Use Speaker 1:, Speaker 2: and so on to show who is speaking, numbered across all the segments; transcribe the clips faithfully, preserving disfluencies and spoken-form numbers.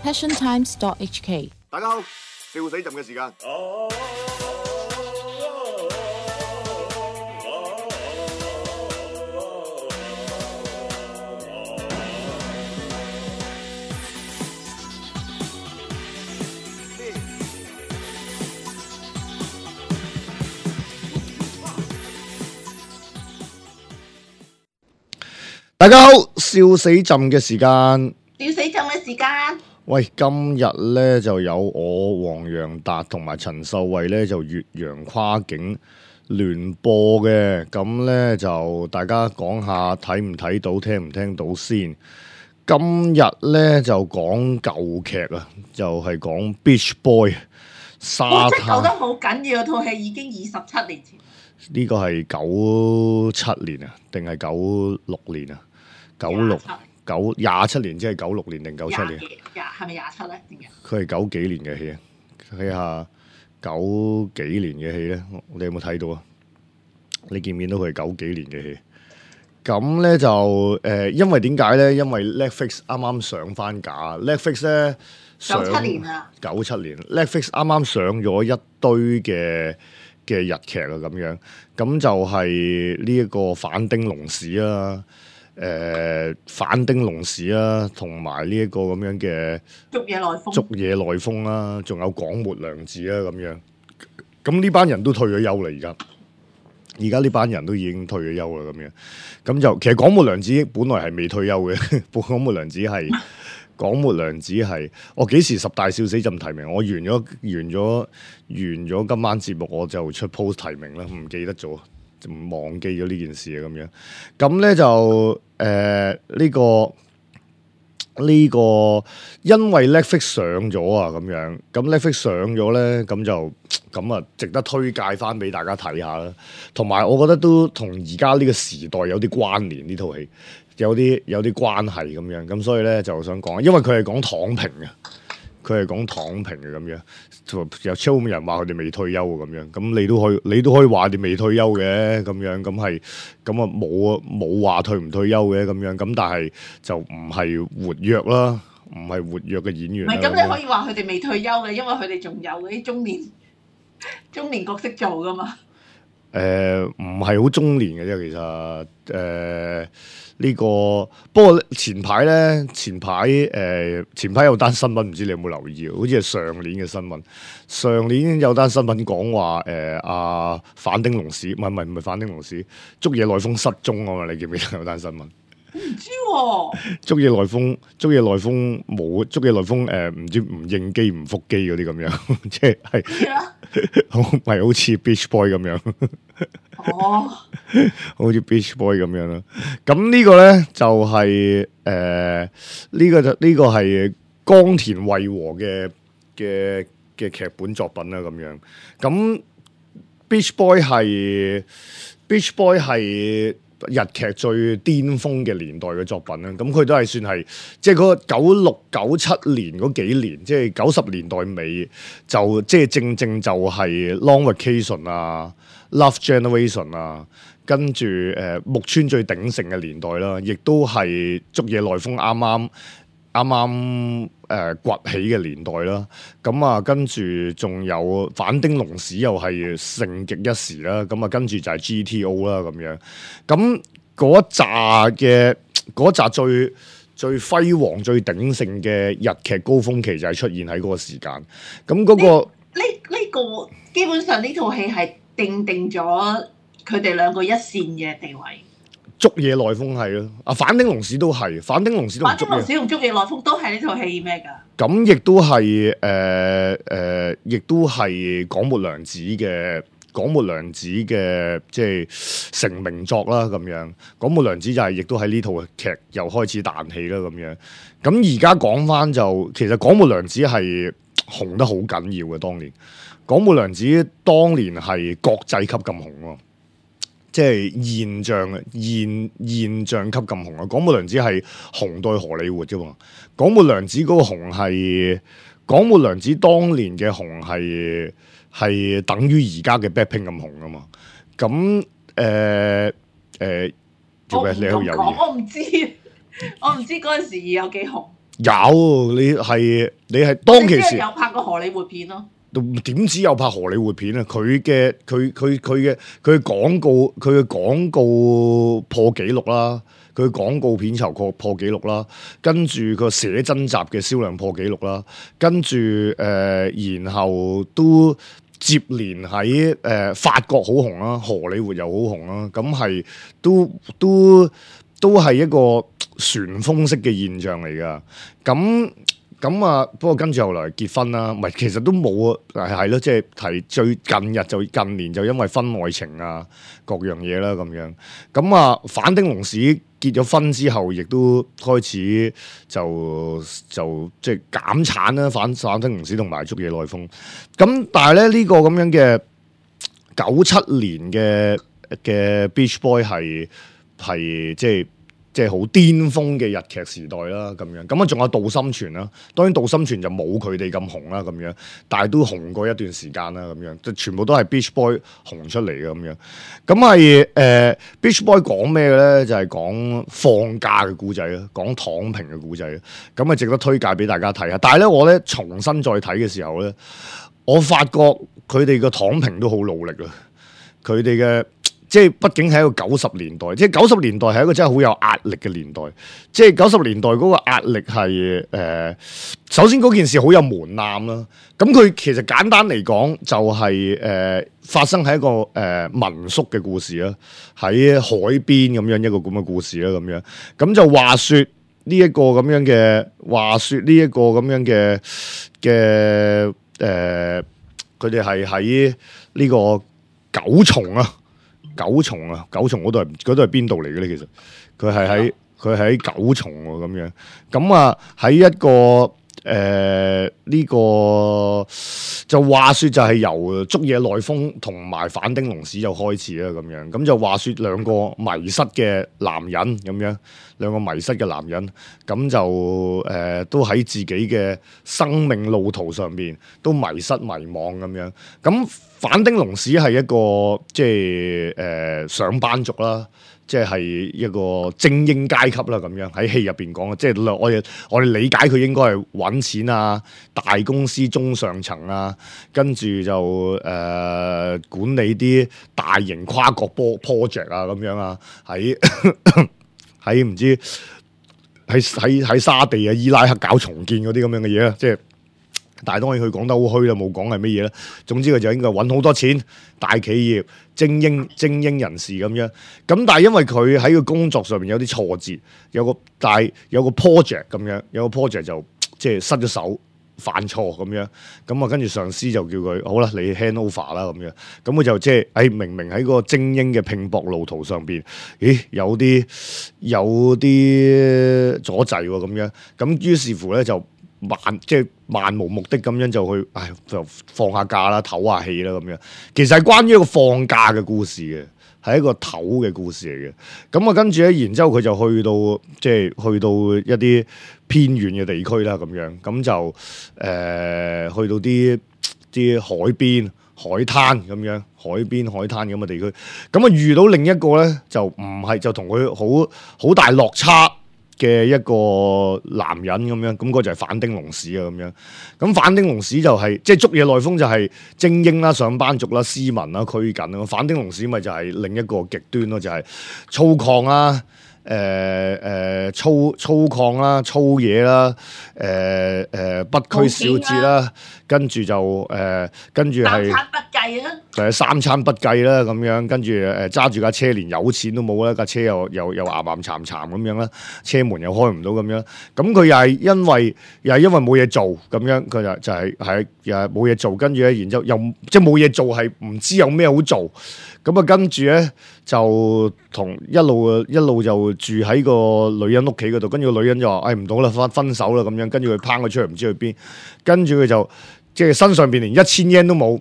Speaker 1: passion times dot h k。
Speaker 2: 大家好，笑死朕嘅時間。大家好，笑死朕嘅時間。
Speaker 3: 笑死朕嘅時間。
Speaker 2: 喂，今日咧就有我黃洋達同埋陳秀慧咧就越洋跨境聯播嘅，咁咧就大家講下睇唔睇到，聽唔聽到先。今日咧就講舊劇啊，就係、是、講 Beach Boy 沙
Speaker 3: 哇！真係
Speaker 2: 灘。
Speaker 3: 舊得好緊要，套戲已經二十七年前。
Speaker 2: 呢個係九七年啊，定係九六年啊？九六九廿七年，即係九六年定九七年？
Speaker 3: 廿係咪廿七咧？點解？
Speaker 2: 佢係九幾年嘅戲啊？睇下九幾年嘅戲咧，你有冇睇到啊？你見唔見到佢係九幾年嘅戲？咁咧就誒、呃，因為點解咧？因為 Netflix 啱啱上翻架 ，Netflix 咧
Speaker 3: 九七年啊，
Speaker 2: 九七年 Netflix 啱啱上咗一堆嘅嘅日劇啊，咁樣咁就係呢一個反町隆史啦。誒、呃、反町隆史啦，同埋呢一個咁樣嘅
Speaker 3: 竹野內豐、
Speaker 2: 竹野內豐啦，仲有廣末涼子啦咁樣。咁呢班人都退咗休啦，而家而家呢班人都已經退咗休啦，咁樣咁就其實廣末涼子本來係未退休嘅，廣末涼子係廣末涼子係我幾時十大笑死朕提名？我完咗完咗完咗今晚節目我就出 post 提名啦，唔記得咗。忘記咗呢件事啊，咁樣咁咧就誒呢、呃這個呢、這個因為 Netflix 上咗啊，咁樣咁 Netflix 上咗咧，咁就咁啊，值得推介翻俾大家睇下啦。同埋我覺得都同而家呢個時代有啲關聯，呢套戲有啲有啲關係咁樣，咁所以咧就想講，因為佢係講躺平嘅。佢係講躺平嘅咁樣，有超多人話佢哋未退休咁樣，咁你都可以，你都可以話你未退休嘅咁樣，咁係咁啊冇冇話退唔退休嘅咁樣，咁但係就唔係活躍啦，唔係活躍嘅演員。
Speaker 3: 唔係咁，你可以話佢哋未退休嘅，因為佢哋仲有嗰啲中年中年角色做噶嘛。
Speaker 2: 誒唔係好中年嘅啫，其實誒。呃呢、這個不過前排咧，前排誒、呃、前排有單新聞，唔知你有冇留意？好似係上年嘅新聞。上年有單新聞講話誒阿反町隆史，唔係唔係唔係反町隆史，竹野內豐失蹤啊嘛！你記唔記得有單新聞？
Speaker 3: 唔知喎。
Speaker 2: 竹野內豐，竹野內豐冇，竹野內豐誒唔知唔應機唔覆機嗰啲咁樣，即係係好係好似 Beach Boy 咁樣。
Speaker 3: 哦，
Speaker 2: 好似 Beach Boy 咁樣啦。咁呢個咧就係誒呢個就呢、這個係岡田惠和嘅嘅嘅劇本作品啦。咁樣咁 Beach Boy 係 Beach Boy 係日劇最巔峰嘅年代嘅作品啦。咁佢都係算係即係嗰個九六九七年嗰幾年，即係九十年代尾就即係正正就係 Long Vacation 啊。Love Generation 啊，跟住誒、呃、木村最鼎盛嘅年代啦，亦都係竹野內豐啱啱啱啱誒崛起嘅年代啦。咁啊，跟住仲有反町隆史又係盛極一時啦。咁啊，跟住就係 G T O 啦咁樣。咁嗰一紮嘅嗰一紮最最輝煌、最鼎盛嘅日劇高峰期就係出現喺嗰個時間。咁嗰、嗰個
Speaker 3: 呢呢、呢個基本上呢套戲係。定定咗佢哋兩個一線嘅地位。
Speaker 2: 竹野內豐係咯，啊反町隆史都係，反町隆史都
Speaker 3: 反町隆史同竹野內豐都係呢套戲咩㗎？
Speaker 2: 咁亦都係誒誒，亦都係廣末涼子嘅廣末涼子嘅即係成名作啦咁樣。廣末涼子就係、是、亦都喺呢套劇又開始彈起啦咁樣。咁而家講翻就，其實廣末涼子係紅得好緊要嘅當年。廣末涼子當年係國際級咁紅喎，即係現象現現象級咁紅啊！廣末涼子係紅到荷里活啫嘛。廣末涼子嗰個紅係廣末涼子當年嘅紅係係等於而家嘅 Blackpink 咁紅啊嘛。咁誒誒做咩？你喺度猶豫？
Speaker 3: 我唔知，我唔知嗰陣時有幾紅。
Speaker 2: 有你係你係當其時
Speaker 3: 有拍過荷里活片咯。
Speaker 2: 點知有拍荷里活片啊？佢嘅佢佢佢嘅佢嘅廣告佢嘅廣告破紀錄啦，佢廣告片酬破破紀錄啦，跟住個寫真集嘅銷量破紀錄啦，跟住誒、呃，然後都接連喺誒、呃、法國好紅啦，荷里活又好紅啦，咁係都都都係一個旋風式嘅現象嚟噶，咁。咁啊，不過跟住後來結婚啦，唔係其實都冇啊，係係咯，即係提最近日就近年就因為婚外情啊各樣嘢啦咁樣。咁啊，反丁龍史結咗婚之後，亦都開始就就即係減產啦，反反丁龍史同埋竹野內豐。咁但係咧呢、呢個咁樣嘅九七年嘅嘅 Beach Boy 係係即係。即係好巔峰嘅日劇時代啦，咁樣咁啊，仲有杜心泉啦。當然杜心泉就冇佢哋咁紅啦，咁樣，但係都紅過一段時間啦，咁樣，即係全部都係 Beach Boy 紅出嚟嘅咁樣。咁係誒 Beach Boy 講咩嘅咧？就係、是、講放假嘅故仔啦，講躺平嘅故仔啦。咁啊，值得推介俾大家睇下。但係咧，我咧重新再睇嘅時候咧，我發覺佢哋嘅躺平都好努力啊！佢哋嘅。即係畢竟係一個九十年代，即係九十年代係一個真係好有壓力嘅年代。即係九十年代嗰個壓力係誒、呃，首先嗰件事好有門檻啦。咁佢其實簡單嚟講就係、是、誒、呃、發生喺一個誒、呃、民宿嘅故事啦，喺海邊咁樣一個咁嘅故事啦，咁樣咁就話説呢一個咁樣嘅話説呢一個咁樣嘅嘅誒，佢哋係喺呢個九重啊。九重啊，九重嗰度係嗰度係邊度嚟嘅咧？其實佢係喺佢係喺九重喎，咁樣咁啊喺一個誒呢、呃這個就話説就係由竹野內豐同埋反町隆史就開始啦，咁樣咁就話説兩個迷失嘅男人咁樣，兩個迷失嘅男人咁就誒、呃、都喺自己嘅生命路途上邊都迷失迷惘咁樣咁。反町隆史係一個即係誒、呃、上班族啦，即係一個精英階級啦，咁樣喺戲入邊講，即係我哋我哋理解佢應該係揾錢啊，大公司中上層啊，跟住就誒、呃、管理啲大型跨國波 project 啊，咁樣啊，喺喺唔知喺喺喺沙地啊、伊拉克搞重建嗰啲咁樣嘅嘢啊，即係。但係當然佢講得好虛啦，冇講係乜嘢啦。總之佢就應該揾好多錢，大企業、精英、精英人士咁樣。咁但係因為佢喺個工作上面有啲挫折，有個但係有個 project 咁樣，有個 project 就即係失咗手，犯錯咁樣。咁啊跟住上司就叫佢好啦，你 hand over 啦咁樣。咁佢就即係誒明明喺個精英嘅拼搏路途上邊，咦有啲有啲阻滯喎咁樣。咁於是乎咧就。漫即係漫無目的咁樣就去，唉就放下假啦，唞下氣啦咁樣。其實係關於一個放假嘅故事嘅，係一個唞嘅故事嚟嘅。咁啊跟住咧，然之後佢就去到即係去到一啲偏遠嘅地區啦，咁樣咁就誒、呃、去到啲啲海邊海灘咁樣，海邊海灘咁嘅地區。咁啊遇到另一個咧，就唔係就同佢好好大落差嘅一個男人咁樣，咁、那、嗰、個、就係反町隆史啊咁樣。咁反町隆史就係、是、即係竹野內豐就係精英啦、上班族啦、斯文啦、拘謹啦。反町隆史咪就係另一個極端咯，就係、是、粗獷啦、誒、呃、誒、呃、粗粗獷啦、粗嘢啦、誒、呃、誒、呃、不拘小節啦，跟住就誒、呃、跟住係。就係三餐不繼啦，咁樣跟住誒揸住架車，連有錢都冇啦，架車又又又岩岩慘慘咁樣啦，車門又開唔到咁樣。咁佢又係因為又係因為冇嘢做咁樣，佢就就係係又係冇嘢做，跟住咧，然之後又即係冇嘢做，係唔知有咩好做。咁啊，跟住咧就同一路一路就住喺個女人屋企嗰度，跟住個女人就話：誒唔到啦，分分手啦咁樣。跟住佢拋佢出去，唔知去邊。跟住佢就即係身上邊連一千 yen 都冇。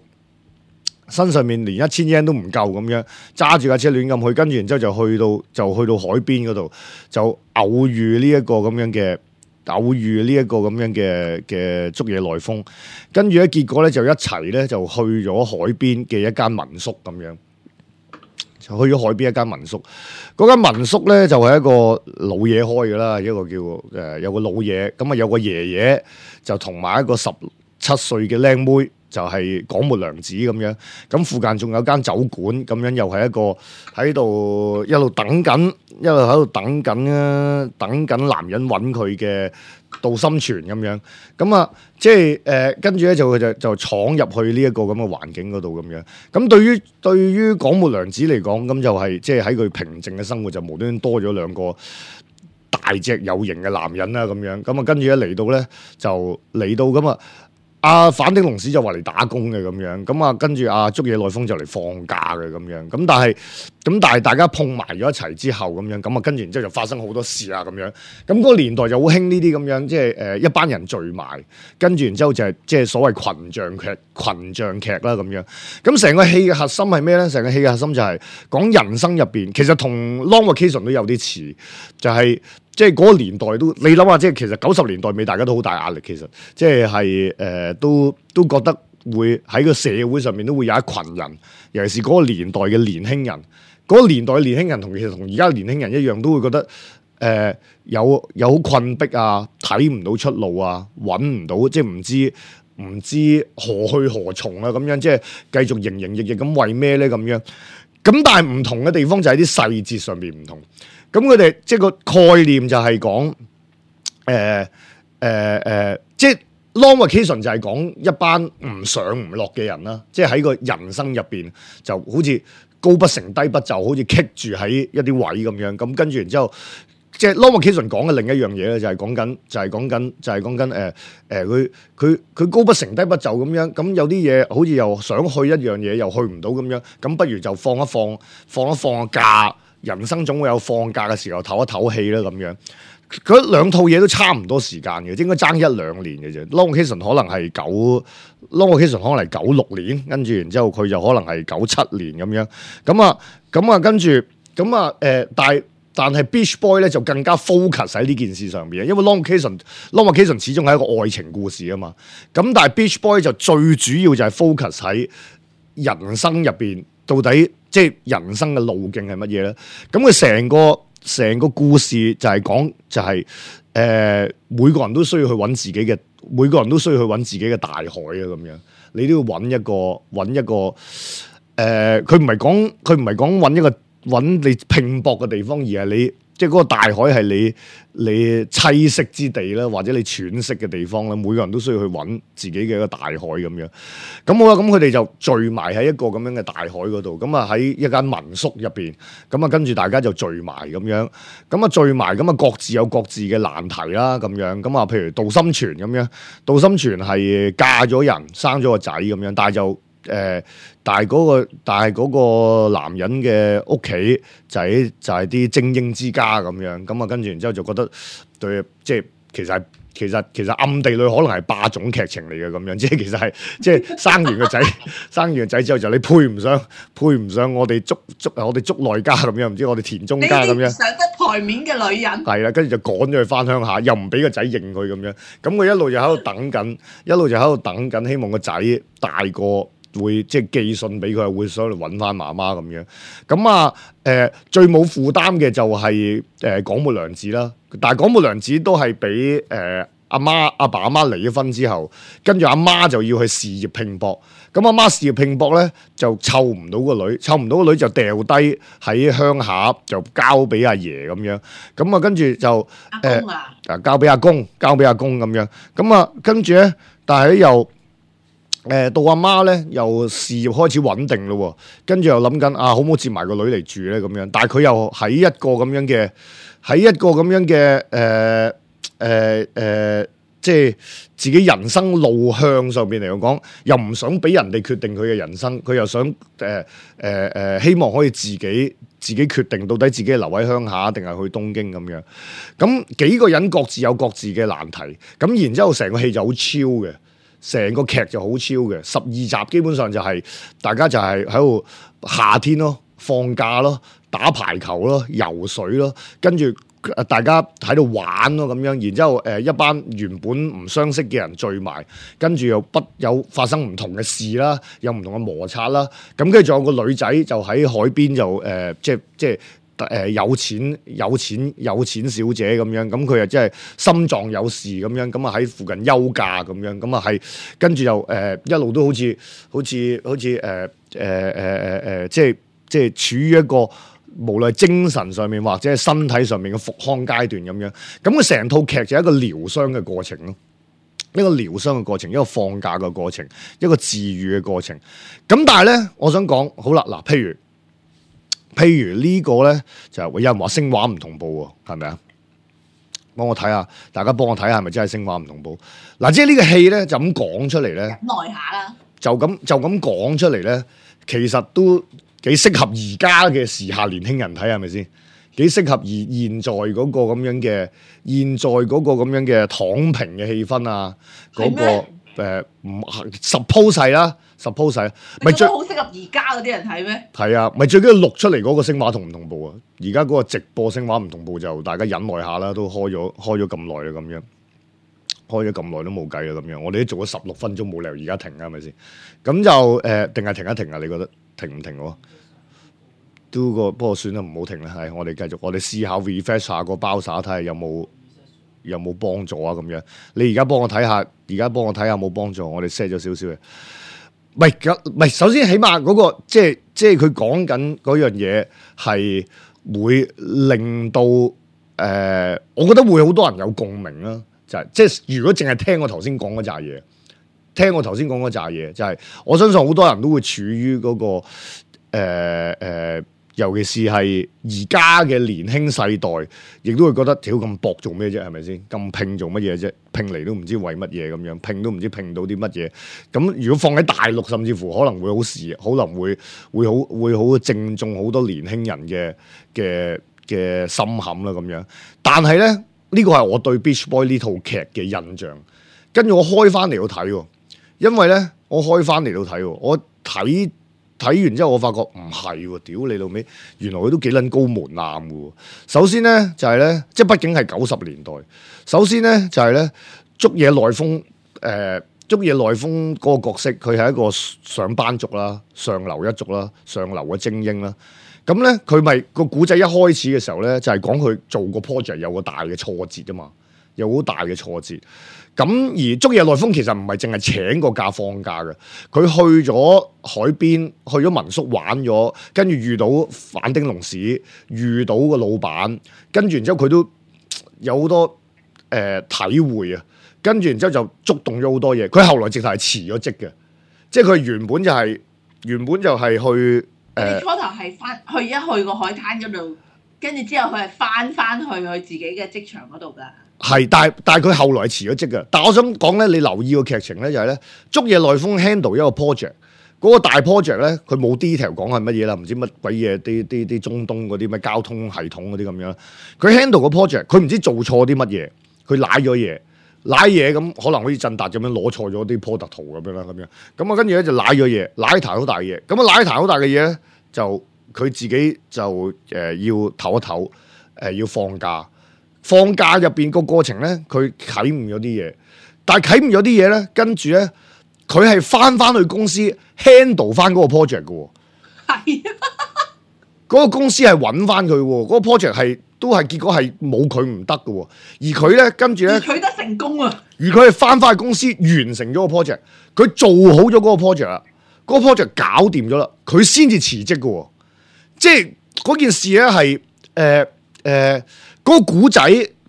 Speaker 2: 身上面連一千 yen 都唔夠咁樣，揸住架車亂咁去，跟住然之後就去到就去到海邊嗰度，就偶遇呢一個咁樣嘅偶遇呢一個咁樣嘅嘅竹野內豐，跟住咧結果咧就一齊咧就去咗海邊嘅一間民宿咁樣，就去咗海邊一間民宿。嗰間民宿咧就係、是、一個老嘢開嘅啦，一個叫誒、呃、有個老嘢，咁啊有個爺爺就同埋一個十七歲嘅靚妹。就係廣末涼子咁樣，咁附近仲有間酒館，咁樣又係一個喺度一路等緊，一路喺度等緊啊，等緊男人揾佢嘅杜心泉咁樣，咁啊，即係誒跟住咧就就就闖入去呢一個咁嘅環境嗰度咁樣。咁對於對於廣末涼子嚟講，咁就係即係喺佢平靜嘅生活就無端端多咗兩個大隻有型嘅男人啦咁樣。咁啊跟住一嚟到咧就嚟到咁啊。阿、啊、反町隆史就話嚟打工嘅咁樣，咁啊跟住阿竹野內豐就嚟放假嘅咁樣，咁但係咁但係大家碰埋咗一齊之後咁樣，咁啊跟住然之後就發生好多事啊咁樣，咁嗰個年代就好興呢啲咁樣，即係誒一班人聚埋，跟住然之後就係即係所謂群像劇、群像劇啦咁樣，咁成個戲嘅核心係咩咧？成個戲嘅核心就係講人生入邊，其實同 Long Vacation 都有啲似，就係、是。即係嗰個年代都，你諗下，即係其實九十年代尾大家都好大壓力，其實即係係誒都都覺得會喺個社會上面都會有一群人，尤其是嗰個年代嘅年輕人，嗰、嗰個年代嘅年輕人同其實同而家年輕人一樣，都會覺得誒、呃、有有好困迫啊，睇唔到出路啊，揾唔到，即係唔知唔知何去何從啊，咁樣即係繼續營營役役咁為咩咧咁樣？咁但係唔同嘅地方就喺啲細節上面唔同。咁佢哋即係個概念就係講誒誒誒，即係 Long Vacation 就係講一班唔上唔落嘅人啦，即係喺個人生入邊就好似高不成低不就，好似棘住喺一啲位咁樣。咁跟住然之後，即係 Long Vacation 講嘅另一樣嘢咧，就係講緊就係講緊就係講緊誒誒，佢佢佢高不成低不就咁樣。咁有啲嘢好似又想去一樣嘢，又去唔到咁樣。咁不如就放一放，放一放個假。人生總會有放假嘅時候，唞一唞氣啦咁樣。嗰兩套嘢都差唔多時間嘅，應該爭一兩年嘅啫。Long Vacation 可能係九，Long Vacation 可能係九六年，跟住然之後佢就可能係九七年咁樣。咁啊，咁啊，跟住咁啊，誒、呃，但係但係 Beach Boy 咧就更加 focus 喺呢件事上邊，因為 Long Vacation，Long Vacation 始終係一個愛情故事啊嘛。咁但係 Beach Boy 就最主要就係 focus 喺人生入邊。到底即係人生嘅路徑係乜嘢咧？咁佢成個成個故事就係講就係、是、誒、呃、每個人都需要去揾自己嘅，每個人都需要去揾自己嘅大海啊咁樣。你都要揾一個揾一個誒，佢唔係講佢唔係講揾一個揾你拼搏嘅地方，而係你即係嗰個大海係你你棲息之地啦，或者你喘息嘅地方啦。每個人都需要去揾自己嘅一個大海咁樣。咁好啦，咁佢哋就聚埋喺一個咁樣嘅大海嗰度。咁啊喺一間民宿入邊，咁啊跟住大家就聚埋咁樣。咁啊聚埋，咁啊各自有各自嘅難題啦咁樣。咁啊譬如杜心泉咁樣，杜心泉係嫁咗人，生咗個仔咁樣，但係就。誒、呃，但係嗰、那個，但係嗰個男人嘅屋企就係就係啲精英之家咁樣，咁啊跟住然之後就覺得對，即係其實係其實其實暗地裏可能係霸總劇情嚟嘅咁樣，即係其實係即係生完個仔，生完個仔之後就你配唔上，配唔上我哋竹竹我哋竹內家咁樣，唔知我哋田中家咁樣，
Speaker 3: 上得台面嘅女人
Speaker 2: 係啦，跟住就趕咗佢翻鄉下，又唔俾個仔認佢咁樣，咁佢一路就喺度等緊，一路就喺度等緊，希望個仔大個。會即係寄信俾佢，會想嚟揾翻媽媽咁樣。咁啊，誒、呃、最冇負擔嘅就係誒廣末涼子啦。但係廣末涼子都係俾誒阿媽阿爸阿媽離咗婚之後，跟住阿媽就要去事業拼搏。咁阿媽事業拼搏咧，就湊唔到個女，湊唔到個女就掉低喺鄉下，就交俾阿爺咁樣。咁啊，跟住就誒啊交俾阿公，交俾阿公咁樣。咁啊，跟住咧，但係又。誒、呃、到阿媽咧，又事業開始穩定咯，跟住又諗緊啊，好唔好接埋個女嚟住咧咁樣？但係佢又喺一個咁樣嘅，喺一個咁樣嘅誒誒誒，即係自己人生路向上邊嚟講，又唔想俾人哋決定佢嘅人生，佢又想誒誒誒，希望可以自己自己決定到底自己係留喺鄉下定係去東京咁樣。咁幾個人各自有各自嘅難題，咁然之後成個戲就好超嘅。成個劇就好超嘅，十二集基本上就係、是、大家就係喺度夏天咯，放假咯，打排球咯，游水咯，跟住大家喺度玩咯咁樣，然之後誒、呃、一班原本唔相識嘅人聚埋，跟住又不有發生唔同嘅事啦，有唔同嘅摩擦啦，咁跟住仲有個女仔就喺海邊就誒、呃、即係即係誒、呃、有錢有錢有錢小姐咁樣，咁佢又真係心臟有事咁樣，咁啊喺附近休假咁樣，咁啊係跟住又誒、呃、一路都好似好似好似誒誒誒誒誒即係即係處於一個。無論係精神上面或者係身體上面嘅復康階段咁樣，咁佢成套劇就係一個療傷嘅過程咯，一個療傷嘅過程，一個放假嘅過程，一個治愈嘅過程。咁但係咧，我想講好啦，嗱，譬如譬如呢個咧就係有人話聲畫唔同步喎，係咪啊？幫我睇下，大家幫我睇下係咪真係聲畫唔同步？嗱，即係呢個戲咧就咁講出嚟咧，
Speaker 3: 耐下啦，
Speaker 2: 就咁就咁講出嚟咧，其實都。幾適合而家嘅時下年輕人睇係咪先？幾適合而現在嗰個咁樣嘅現在嗰個咁樣嘅躺平嘅氣氛啊？嗰、嗰個誒唔 suppose 係啦 ，suppose 係，咪最
Speaker 3: 好適合而家嗰啲人睇咩？
Speaker 2: 係啊，咪最緊要錄出嚟嗰個聲畫同唔同步啊？而家嗰個直播聲畫唔同步就大家忍耐下啦，都開咗開咗咁耐啦，咁樣開咗咁耐都冇計啦，咁樣我哋都做咗十六分鐘，冇理由而家停啊，係咪先？咁就誒，定、呃、係停一停啊？你覺得停唔停喎？都個不過算啦，唔好停啦。係我哋繼續，我哋試下 refresh 下個包灑，睇下有冇有冇幫助啊？咁樣你而家幫我睇下，而家幫我睇下有冇幫助。我哋 set 咗少少嘅，唔係唔係。首先起碼嗰、嗰個即係即係佢講緊嗰樣嘢係會令到誒、呃，我覺得會好多人有共鳴啦。就係、係、即係如果淨係聽我頭先講嗰扎嘢，聽我頭先講嗰扎嘢，就係、係、我相信好多人都會處於嗰、嗰個誒誒。呃呃尤其是係而家嘅年輕世代，亦都會覺得屌咁搏做咩啫？係咪先？咁拼做乜嘢啫？拼嚟都唔知為乜嘢咁樣，拼都唔知拼到啲乜嘢。咁如果放喺大陸，甚至乎可能會好事，可能會會好會好正中好多年輕人嘅嘅嘅心坎啦咁樣。但係咧，呢、呢個係我對 Beach Boy 呢套劇嘅印象。跟住我開翻嚟到睇，因為咧我開翻嚟到睇，我睇。睇完之後，我發覺唔係喎，屌你老味，原來佢都幾撚高門檻嘅。首先咧就係、是、咧，即係畢竟係九十年代。首先咧就係、是、咧，竹野內豐誒，竹野內豐嗰個角色，佢係一個上班族啦，上流一族啦，上流嘅精英啦。咁咧佢咪個古仔一開始嘅時候咧，就係講佢做個 project 有個大嘅挫折啊嘛，有好大嘅挫折。咁而竹野內豐其實唔係淨係請個假放假嘅，佢去咗海邊，去咗民宿玩咗，跟住遇到反町隆史，遇到個老闆，跟住然之後佢都有好多誒、呃、體會啊，跟住然之後就觸動咗好多嘢。佢後來直頭係辭咗職嘅，即係佢原本就係、是、原本就係去誒。
Speaker 3: 呃、初頭係翻去一去個海灘嗰度，跟住之後佢係翻翻去佢自己嘅職場嗰度㗎。係，
Speaker 2: 但係但係佢後來辭咗職嘅。但係我想講咧，你留意個劇情咧，就係咧，竹野內豐 handle 一個 project，嗰個大 project 咧，佢冇 detail 講係乜嘢啦，唔知乜鬼嘢，啲啲啲中東嗰啲咩交通系統嗰啲咁樣。佢 handle 個 project，佢唔知做錯啲乜嘢，佢賴咗嘢，賴嘢咁可能好似振達咁樣攞錯咗啲 product 圖咁樣啦，咁樣咁啊，跟住咧就賴咗嘢，賴壇好大嘅嘢。咁啊，賴壇好大嘅嘢咧，就佢自己就誒、呃、要唞一唞，誒、呃、要放假。放假入邊個過程咧，佢啟悟咗啲嘢，但係啟悟咗啲嘢咧，跟住咧，佢係翻翻去公司 handle 翻嗰個 project 嘅，係嗰個公司係揾翻佢，嗰、嗰個 project 係都係結果係冇佢唔得嘅，而佢咧跟住咧
Speaker 3: 取得成功啊！
Speaker 2: 而佢係翻翻去公司完成咗個 project，佢做好咗嗰個 project 啦，嗰、嗰個 project 搞掂咗啦，佢先至辭職嘅，即係嗰件事咧係誒誒。嗰個古仔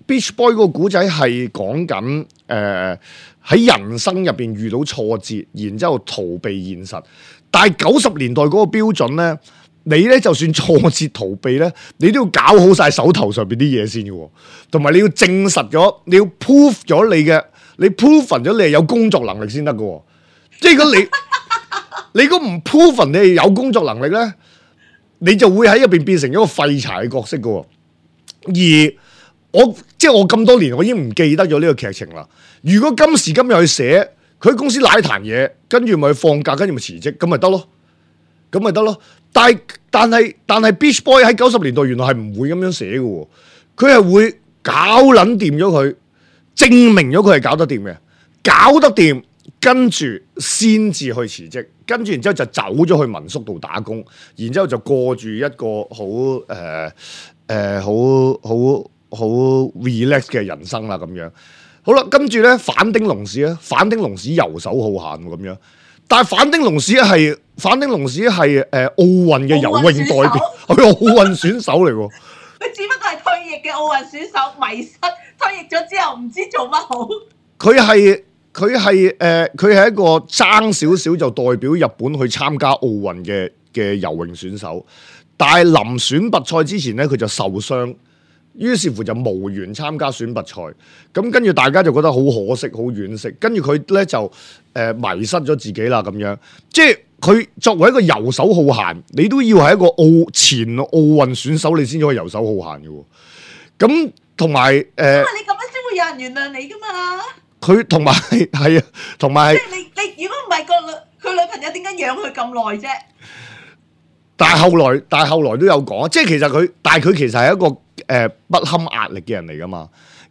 Speaker 2: Beach Boy 嗰個古仔係講緊誒喺人生入邊遇到挫折，然之後逃避現實。但係九十年代嗰個標準咧，你咧就算挫折逃避咧，你都要搞好晒手頭上邊啲嘢先嘅，同埋你要證實咗，你要 prove 咗你嘅，你 prove 咗你係有工作能力先得嘅。即係如果你你如果唔 prove 你係有工作能力咧，你就會喺入邊變成一個廢柴嘅角色嘅。而我即係我咁多年，我已經唔記得咗呢個劇情啦。如果今時今日去寫，佢喺公司瀨壇嘢，跟住咪去放假，跟住咪辭職，咁咪得咯，咁咪得咯。但係但係但係 Beach Boy 喺九十年代原來係唔會咁樣寫嘅，佢係會搞撚掂咗佢，證明咗佢係搞得掂嘅，搞得掂，跟住先至去辭職，跟住然之後就走咗去民宿度打工，然之後就過住一個好誒誒好好好 relax 嘅人生啦咁樣。好啦，跟住咧反町隆史咧，反町隆史遊手好閒咁樣，但係反町隆史係反町隆史係誒奧運嘅游泳代表，係奧運選手嚟喎。
Speaker 3: 佢只不過係退役嘅奧運選手，迷失退役咗之後唔知做乜好。佢
Speaker 2: 係佢係誒佢係一個爭少少就代表日本去參加奧運嘅嘅游泳選手，但係臨選拔賽之前咧佢就受傷。於是乎就無緣參加選拔賽，咁跟住大家就覺得好可惜、好惋惜。跟住佢咧就誒、呃、迷失咗自己啦咁樣。即係佢作為一個遊手好閒，你都要係一個奧前奧運選手，你先可以遊手好閒嘅喎。咁同埋誒，因為你咁樣先會有人原諒你噶嘛。佢同埋係啊，同埋即係你你如果唔係個女佢女朋友點解養佢咁耐啫？但係後來，但係後來都有講，即係其實佢，但係佢其實係一個誒、呃、不堪壓力嘅人嚟噶嘛。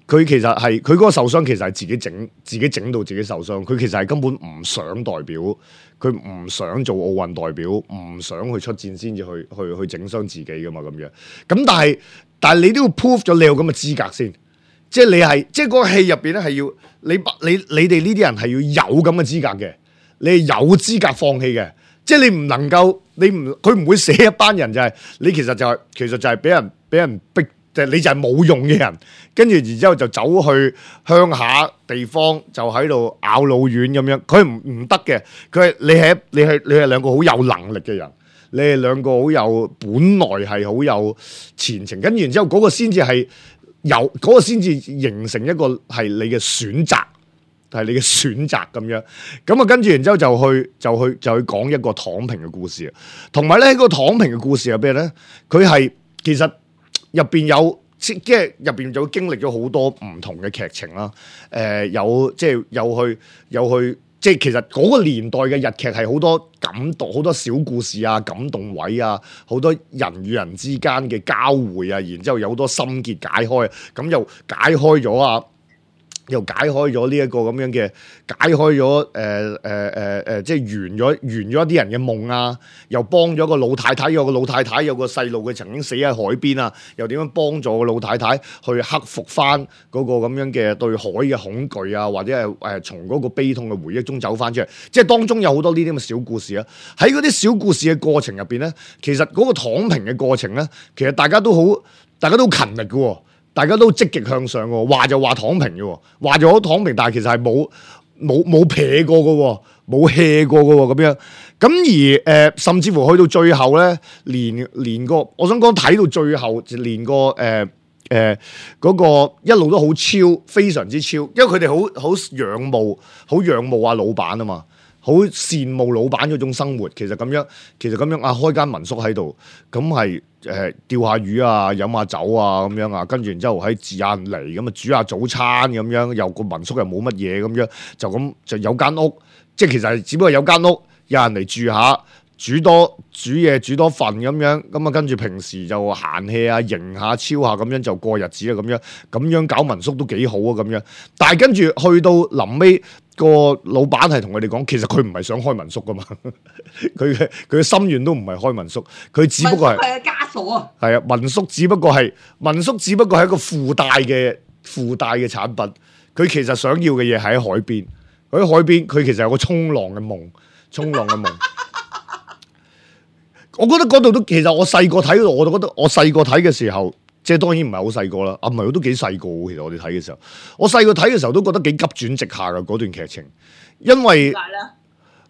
Speaker 2: 佢其實係佢嗰個受傷，其實係自己整，自己整到自己受傷。佢其實係根本唔想代表，佢唔想做奧運代表，唔想去出戰先至去去去整傷自己噶嘛咁樣。咁但係但係你都要 prove 咗你有咁嘅資格先，即係你係即係嗰個戲入邊咧係要你你你哋呢啲人係要有咁嘅資格嘅，你係有資格放棄嘅。即係你唔能夠，你唔佢唔會寫一班人就係、是、你其實就係、是、其實就係俾人俾人逼，就係、是、你就係冇用嘅人，跟住然之後就走去鄉下地方就喺度咬老丸咁樣，佢唔唔得嘅，佢係你係你係你係兩個好有能力嘅人，你係兩個好有本來係好有前程，跟住然之後嗰個先至係有嗰、那個先至形成一個係你嘅選擇。係你嘅選擇咁樣，咁啊跟住然之後就去就去就去講一個躺平嘅故事啊，同埋咧喺個躺平嘅故事入邊咧，佢係其實入邊有即係入邊就經歷咗好多唔同嘅劇情啦，誒、呃、有即係有去有去即係其實嗰個年代嘅日劇係好多感動，好多小故事啊，感動位啊，好多人與人之間嘅交匯啊，然之後有好多心結解開，咁又解開咗啊。又解開咗呢一個咁樣嘅，解開咗誒誒誒誒，即係圓咗圓咗一啲人嘅夢啊！又幫咗個老太太，有個老太太有個細路，佢曾經死喺海邊啊！又點樣幫助個老太太去克服翻嗰個咁樣嘅對海嘅恐懼啊？或者係誒從嗰個悲痛嘅回憶中走翻出嚟，即係當中有好多呢啲咁嘅小故事啊！喺嗰啲小故事嘅過程入邊咧，其實嗰個躺平嘅過程咧，其實大家都好，大家都好勤力嘅喎。大家都積極向上喎，話就話躺平嘅，話就好躺平，但係其實係冇冇冇撇過嘅，冇 hea 過嘅咁樣。咁而誒、呃，甚至乎去到最後咧，連連個，我想講睇到最後，連個誒誒嗰個一路都好超，非常之超，因為佢哋好好仰慕，好仰慕啊老闆啊嘛。好羨慕老闆嗰種生活，其實咁樣，其實咁樣啊，開間民宿喺度，咁係誒釣下魚啊，飲下酒啊，咁樣啊，跟住然之後喺自然嚟，咁啊煮下早餐咁樣，又個民宿又冇乜嘢咁樣，就咁就有間屋，即係其實係只不過有間屋，有人嚟住下，煮多煮嘢煮多份咁樣，咁啊跟住平時就閒氣啊，迎下超下咁樣就過日子啊，咁樣咁樣搞民宿都幾好啊，咁樣，但係跟住去到臨尾。個老闆係同佢哋講，其實佢唔係想開民宿噶嘛，佢嘅佢嘅心願都唔係開民宿，佢只不過係係枷鎖啊，係啊，民宿只不過係民宿只不過係一個附帶嘅附帶嘅產品，佢其實想要嘅嘢係喺海邊，喺海邊佢其實有個衝浪嘅夢，衝浪嘅夢。我覺得嗰度都其實我細個睇嗰度，我都覺得我細個睇嘅時候。即係當然唔係好細個啦，啊唔係我都幾細個，其實我哋睇嘅時候，我細個睇嘅時候都覺得幾急轉直下嘅嗰段劇情，因為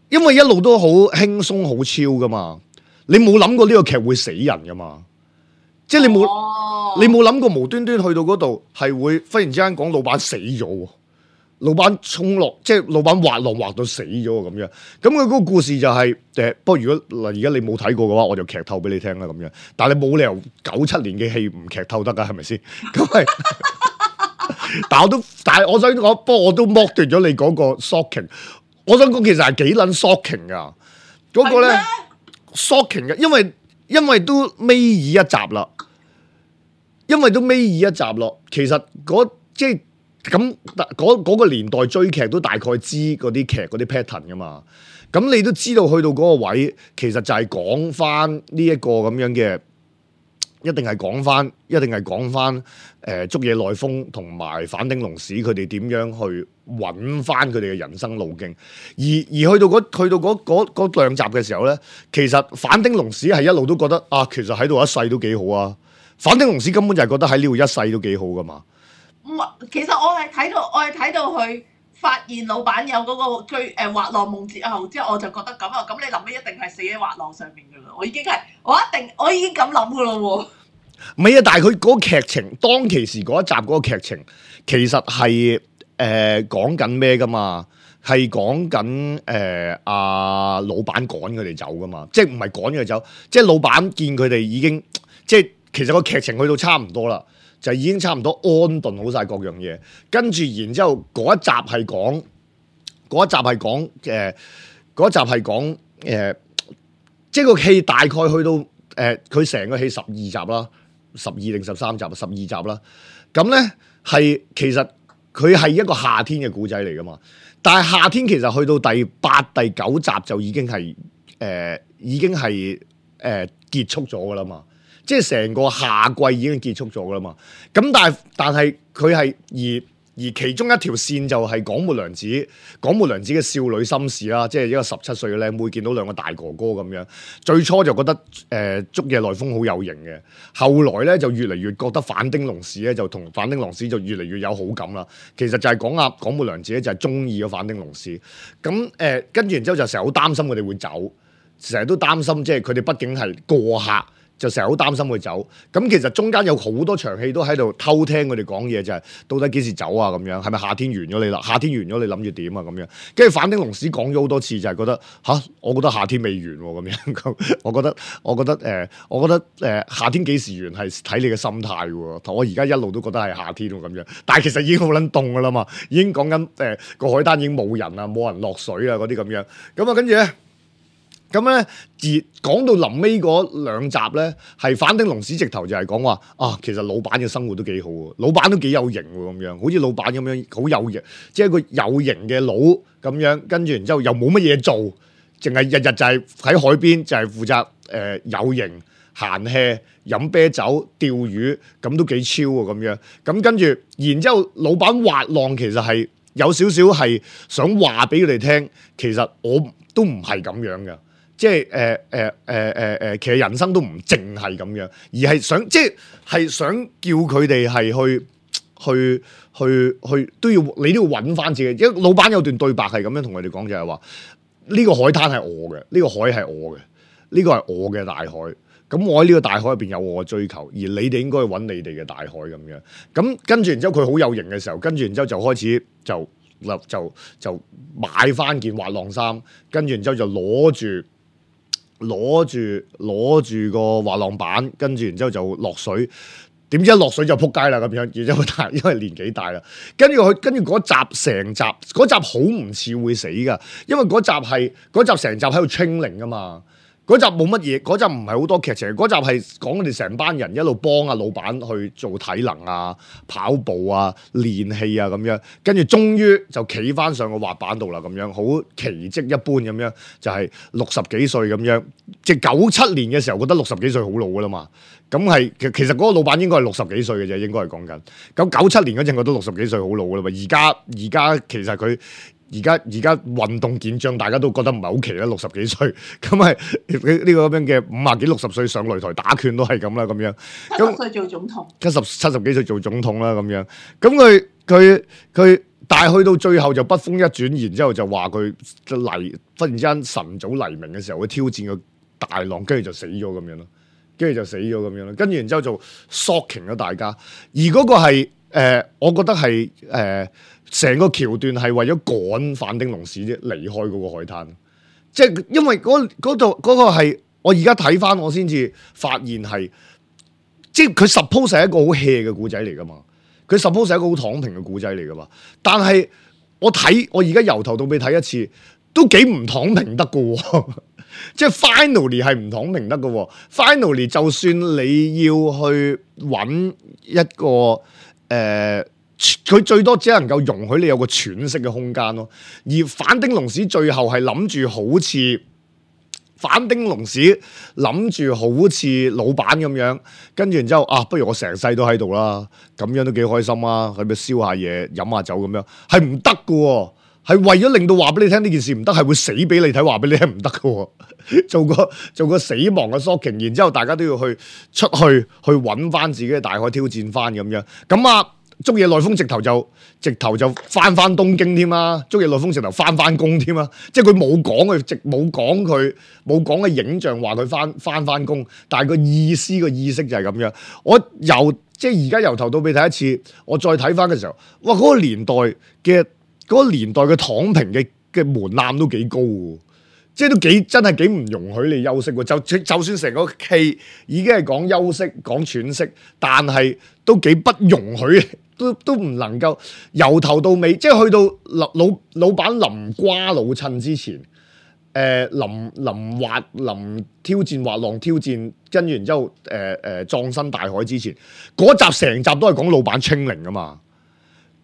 Speaker 2: 因為一路都好輕鬆好超噶嘛，你冇諗過呢個劇會死人噶嘛，即係你冇、哦、你冇諗過無端端去到嗰度係會忽然之間講老闆死咗。老闆衝落，即係老闆滑浪滑到死咗咁樣。咁佢嗰個故事就係、是、誒，不過如果嗱而家你冇睇過嘅話，我就劇透俾你聽啦咁樣。但係你冇理由九七年嘅戲唔劇透得㗎，係咪先？咁係，但係我都，但係我想講，不過我都剝奪咗你嗰個 shocking。我想講其實係幾撚 shocking 㗎，嗰、那個咧 shocking 嘅，因為因為都尾二一集啦。因為都尾二一集咯，其實嗰即係咁嗰嗰個年代追劇都大概知嗰啲劇嗰啲 pattern 噶嘛。咁你都知道去到嗰個位，其實就係講翻呢一個咁樣嘅，一定係講翻，一定係講翻誒竹野內豐同埋反町隆史佢哋點樣去揾翻佢哋嘅人生路徑。而而去到嗰去到嗰嗰嗰兩集嘅時候咧，其實反町隆史係一路都覺得啊，其實喺度一世都幾好啊。反町隆史根本就係覺得喺呢度一世都幾好噶嘛。
Speaker 3: 唔係，其實我係睇到我係睇到佢發現老闆有嗰個追誒滑浪夢之後，之後我就覺得咁啊，咁你臨尾一定係死喺滑浪上面噶啦。我已經係我一定我已經咁諗噶咯喎。
Speaker 2: 唔係啊，但係佢嗰個劇情當其時嗰一集嗰個劇情，其實係誒講緊咩噶嘛？係講緊誒阿老闆趕佢哋走噶嘛？即係唔係趕佢哋走？即係老闆見佢哋已經即係。其實個劇情去到差唔多啦，就已經差唔多安頓好晒各樣嘢，跟住然之後嗰一集係講，嗰一集係講誒，嗰一集係講誒，即係個戲大概去到誒，佢成個戲十二集啦，十二定十三集，十二集啦。咁咧係其實佢係一個夏天嘅故仔嚟噶嘛，但係夏天其實去到第八、第九集就已經係誒、呃，已經係誒、呃、結束咗噶啦嘛。即係成個夏季已經結束咗噶啦嘛，咁但係但係佢係而而其中一條線就係廣末涼子，廣末涼子嘅少女心事啦，即係一個十七歲嘅靚妹見到兩個大哥哥咁樣，最初就覺得誒竹野內豐好有型嘅，後來咧就越嚟越覺得反町隆史咧就同反町隆史就越嚟越有好感啦。其實就係講阿廣末涼子咧就係中意咗反町隆史，咁誒跟住然之後就成日好擔心佢哋會走，成日都擔心即係佢哋畢竟係過客。就成日好擔心佢走，咁其實中間有好多場戲都喺度偷聽佢哋講嘢，就係、是、到底幾時走啊？咁樣係咪夏天完咗你啦？夏天完咗你諗住點啊？咁樣跟住反町隆史講咗好多次，就係覺得吓，我覺得夏天未完喎咁樣。我覺得我覺得誒、呃，我覺得誒、呃、夏天幾時完係睇你嘅心態喎。我而家一路都覺得係夏天喎咁樣，但係其實已經好撚凍噶啦嘛，已經講緊誒個海灘已經冇人啦，冇人落水啊嗰啲咁樣。咁啊跟住咧。咁咧，而講到臨尾嗰兩集咧，係反町隆史直頭就係講話啊，其實老闆嘅生活都幾好喎，老闆都幾有型喎咁樣，好似老闆咁樣好有型，即係一個有型嘅佬咁樣，跟住然之後又冇乜嘢做，淨係日日就係喺海邊就係負責誒、呃、有型閒 hea 飲啤酒釣魚，咁都幾超喎咁樣。咁跟住，然之後老闆滑浪其實係有少少係想話俾佢哋聽，其實我都唔係咁樣嘅。即係誒誒誒誒誒，其實人生都唔淨係咁樣，而係想即係係想叫佢哋係去去去去都要你都要揾翻自己。因為老闆有段對白係咁樣同佢哋講，就係話呢個海灘係我嘅，呢個海係我嘅，呢個係我嘅大海。咁我喺呢個大海入邊有我嘅追求，而你哋應該去揾你哋嘅大海咁樣。咁跟住然之後佢好有型嘅時候，跟住然之後就開始就就就就買翻件滑浪衫，跟住然之後就攞住。攞住攞住個滑浪板，跟住然之後就落水，點知一落水就撲街啦咁樣，然之後大因為年紀大啦，跟住佢跟住嗰集成集嗰集好唔似會死噶，因為嗰集係嗰集成集喺度 training 噶嘛。嗰集冇乜嘢，嗰集唔係好多劇情，嗰集係講佢哋成班人一路幫阿老闆去做體能啊、跑步啊、練氣啊咁樣，跟住終於就企翻上個滑板度啦，咁樣好奇蹟一般咁樣，就係六十幾歲咁樣，即係九七年嘅時候覺得六十幾歲好老噶啦嘛，咁係其其實嗰個老闆應該係六十幾歲嘅啫，應該係講緊，咁九七年嗰陣覺得六十幾歲好老噶啦嘛，而家而家其實佢。而家而家運動健將，大家都覺得唔係好奇啦，六十幾歲咁係呢個咁樣嘅五啊幾六十歲上擂台打拳都係咁啦，咁樣
Speaker 3: 七十歲做總統，
Speaker 2: 七十七十幾歲做總統啦，咁樣咁佢佢佢，但係去到最後就北風一轉，然之後就話佢黎忽然之間晨早黎明嘅時候會挑戰個大浪，跟住就死咗咁樣咯，跟住就死咗咁樣咯，跟住然之後就 shocking 咗大家，而嗰個係誒、呃，我覺得係誒。呃成個橋段係為咗趕反町隆史啫，離開嗰個海灘，即係因為嗰嗰度嗰個係我而家睇翻，我先至發現係，即係佢 suppose 係一個好 hea 嘅故仔嚟噶嘛，佢 suppose 係一個好躺平嘅故仔嚟噶嘛，但係我睇我而家由頭到尾睇一次，都幾唔躺平得噶喎，即係 finally 係唔躺平得嘅喎。finally 就算你要去揾一個誒，佢、呃、最多只能夠容許你有個喘息嘅空間咯。而反丁龍史最後係諗住好似反丁龍史諗住好似老闆咁樣，跟住然之後啊，不如我成世都喺度啦，咁樣都幾開心啊，喺度燒下嘢、飲下酒咁樣，係唔得嘅喎。係為咗令到話俾你聽呢件事唔得，係會死俾你睇，話俾你聽唔得嘅。做個做個死亡嘅 shocking， 然之後大家都要去出去去揾翻自己嘅大海挑戰翻咁樣。咁啊，竹野內豐直頭就直頭就翻翻東京添啦，竹野內豐直頭翻翻工添啦。即係佢冇講佢直冇講佢冇講嘅影像話佢翻翻翻工，但係個意思個意識就係咁樣。我由即係而家由頭到尾睇一次，我再睇翻嘅時候，哇！嗰個年代嘅。嗰個年代嘅躺平嘅嘅門檻都幾高喎，即係都幾真係幾唔容許你休息喎。就就算成個戲已經係講休息、講喘息，但係都幾不容許，都都唔能夠由頭到尾，即係去到老老老闆臨瓜老襯之前，誒、呃、臨臨滑臨挑戰滑浪挑戰，跟住然之後誒誒、呃呃、葬身大海之前，嗰集成集都係講老闆清零㗎嘛。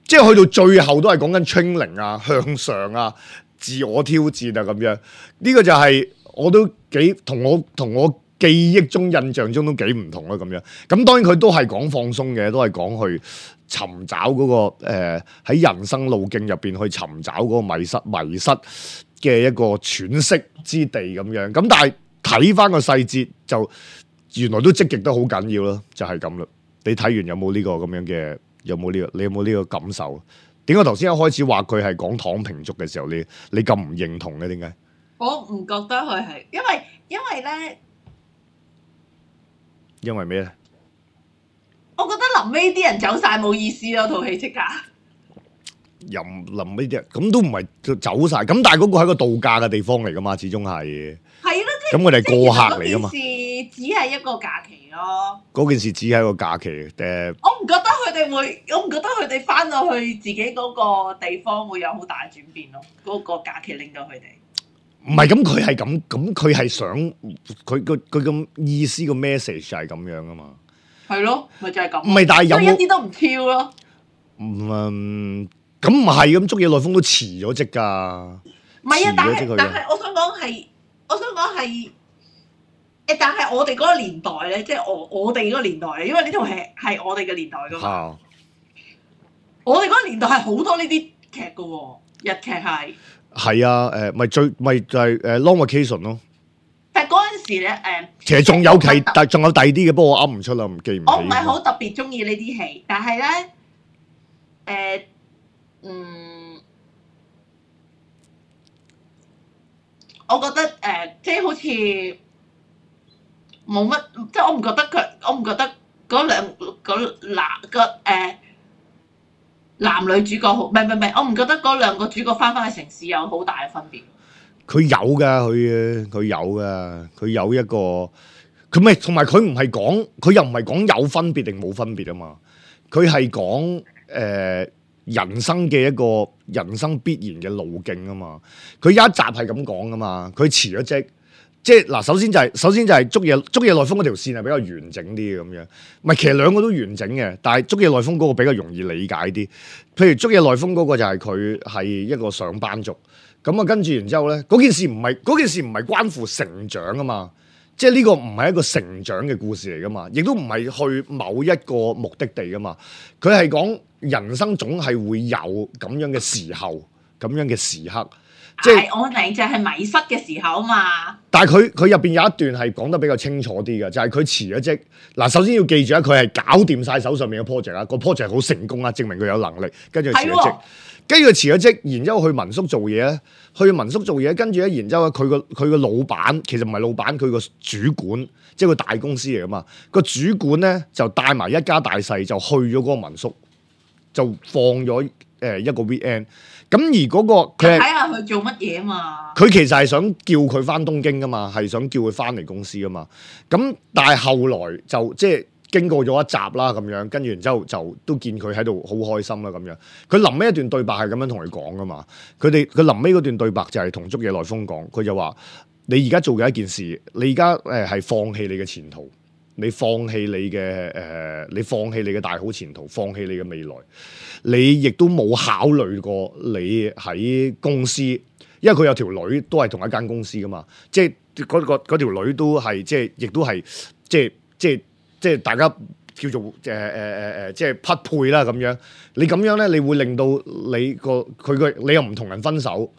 Speaker 2: 即係去到最後都係講緊 training 啊、向上啊、自我挑戰啊咁樣，呢、這個就係我都幾同我同我記憶中、印象中都幾唔同啦咁樣。咁當然佢都係講放鬆嘅，都係講去尋找嗰、那個誒喺、呃、人生路徑入邊去尋找嗰個迷失迷失嘅一個喘息之地咁樣。咁但係睇翻個細節就原來都積極得好緊要咯，就係咁啦。你睇完有冇呢個咁樣嘅？有冇呢個？你有冇呢個感受？點解頭先一開始話佢係講躺平族嘅時候，你你咁唔認同嘅？點解？
Speaker 3: 我唔覺得佢係，因為因為咧，
Speaker 2: 因為咩咧？
Speaker 3: 我覺得臨尾啲人走晒冇意思咯，套戲即刻。
Speaker 2: 又臨尾啲人咁都唔係走晒，咁但係嗰個係一個度假嘅地方嚟噶嘛，始終係。係咯，即係咁，佢哋係過客嚟噶嘛。只係一個假期咯。嗰件事只係一個假期誒。我唔覺得佢哋會，我唔覺得佢哋翻到去自己嗰個地方會有好大轉變咯。嗰、嗰個假期令到佢哋。唔係咁，佢係咁，咁佢係想佢個佢咁意思個 message 係咁樣噶嘛。係咯，咪就係咁。唔係，但係有冇一啲都唔超咯。嗯，咁唔係咁，竹野內豐都辭咗職㗎。唔係啊，但係但係，我想講係，我想講係。誒，但係我哋嗰個年代咧，即係我我哋嗰個年代咧，因為呢套戲係我哋嘅年代噶嘛。啊、我哋嗰個年代係好多呢啲劇噶喎，日劇係。係啊，誒，咪最咪就係誒 Long Vacation 咯。但係嗰陣時咧，誒，其實仲有其但仲有第二啲嘅，不過我噏唔出啦，唔記唔起。我唔係好特別中意呢啲戲，但係咧，誒、呃，嗯，我覺得誒、呃，即係好似。冇乜，即係我唔覺得佢，我唔覺得嗰兩嗰男個誒男女主角好，唔係唔係唔係，我唔覺得嗰兩個主角翻返去城市有好大嘅分別。佢有噶，佢佢有噶，佢有一個，佢咪同埋佢唔係講，佢又唔係講有分別定冇分別啊嘛，佢係講誒人生嘅一個人生必然嘅路徑啊嘛，佢有一集係咁講噶嘛，佢辭咗職。即係嗱，首先就係、是、首先就係竹野竹野內豐嗰條線係比較完整啲嘅咁樣，唔係其實兩個都完整嘅，但係竹野內豐嗰個比較容易理解啲。譬如竹野內豐嗰個就係佢係一個上班族，咁啊跟住然之後咧，嗰件事唔係嗰件事唔係關乎成長啊嘛，即係呢個唔係一個成長嘅故事嚟噶嘛，亦都唔係去某一個目的地噶嘛，佢係講人生總係會有咁樣嘅時候，咁樣嘅時刻。即係我明就係迷失嘅時候嘛，但係佢佢入邊有一段係講得比較清楚啲嘅，就係佢辭咗職。嗱，首先要記住啊，佢係搞掂晒手上面嘅 project 啊，個 project 好成功啊，證明佢有能力。跟住辭咗職，跟住佢辭咗職，然之後去民宿做嘢咧，去民宿做嘢，跟住咧，然之後佢個佢個老闆其實唔係老闆，佢個主管，即係個大公司嚟噶嘛。個主管咧就帶埋一家大細就去咗嗰個民宿，就放咗誒一個 weekend。咁而嗰、那個佢睇下佢做乜嘢啊嘛？佢其實係想叫佢翻東京噶嘛，係想叫佢翻嚟公司噶嘛。咁但係後來就即係經過咗一集啦，咁樣跟住然之後就都見佢喺度好開心啦，咁樣。佢臨尾一段對白係咁樣同佢講噶嘛。佢哋佢臨尾嗰段對白就係同竹野內豐講，佢就話：你而家做嘅一件事，你而家誒係放棄你嘅前途，你放棄你嘅誒、呃，你放棄你嘅大好前途，放棄你嘅未來，你亦都冇考慮過你喺公司，因為佢有條女都係同一間公司噶嘛，即係嗰個嗰條女都係即係亦都係即係即係即係大家叫做誒誒誒誒即係匹配啦咁樣。你咁樣咧，你會令到你個佢個你又唔同人分手。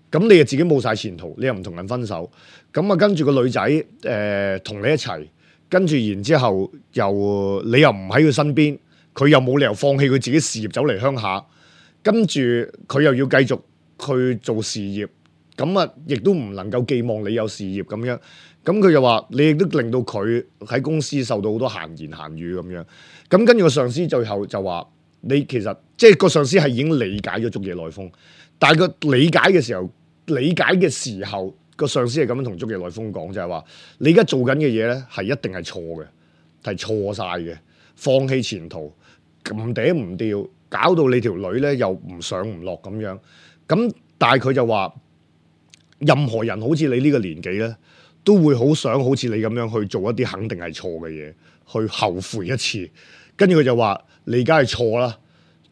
Speaker 2: 咁你又自己冇晒前途，你又唔同人分手，咁啊跟住個女仔誒同你一齊，跟住然之後又你又唔喺佢身邊，佢又冇理由放棄佢自己事業走嚟鄉下，跟住佢又要繼續去做事業，咁啊亦都唔能夠寄望你有事業咁樣，咁佢又話你亦都令到佢喺公司受到好多閒言閒語咁樣，咁跟住個上司最後就話你其實即係個上司係已經理解咗竹野內豐。但係個理解嘅時候，理解嘅時候，個上司係咁樣同竹野內豐講，就係話：你而家做緊嘅嘢咧，係一定係錯嘅，係錯晒嘅，放棄前途，唔嗲唔吊，搞到你條女咧又唔上唔落咁樣。咁但係佢就話，任何人好似你呢個年紀咧，都會好想好似你咁樣去做一啲肯定係錯嘅嘢，去後悔一次。跟住佢就話：你而家係錯啦。